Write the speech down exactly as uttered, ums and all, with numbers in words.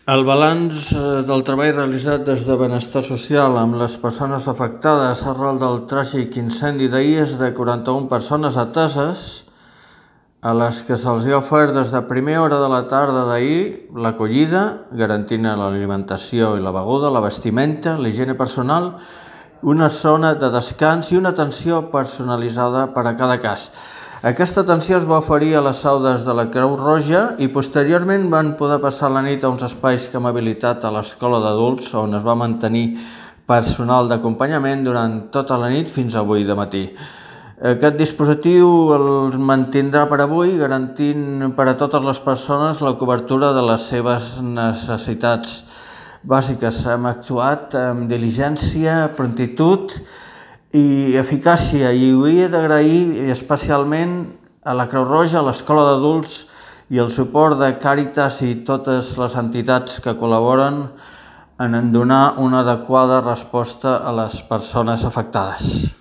El balanç del treball realitzat des de Benestar Social amb les persones afectades arrel del tràgic incendi d'ahir és de quaranta-una persones ateses, a les que se'ls ha ofert des de primera hora de la tarda d'ahir l'acollida, garantint l'alimentació i la beguda, la vestimenta, la higiene personal, una zona de descans i una atenció personalitzada per a cada cas. Aquesta atenció es va oferir a les saudes de la Creu Roja i posteriorment van poder passar la nit a uns espais que hem habilitat a l'escola d'adults on es va mantenir personal d'acompanyament durant tota la nit fins avui de matí. Aquest dispositiu el mantindrà per avui, garantint per a totes les persones la cobertura de les seves necessitats bàsiques. Hem actuat amb diligència, prontitud i eficàcia, i ho he d'agrair especialment a la Creu Roja, a l'Escola d'Adults i el suport de Càritas i totes les entitats que col·laboren en donar una adequada resposta a les persones afectades.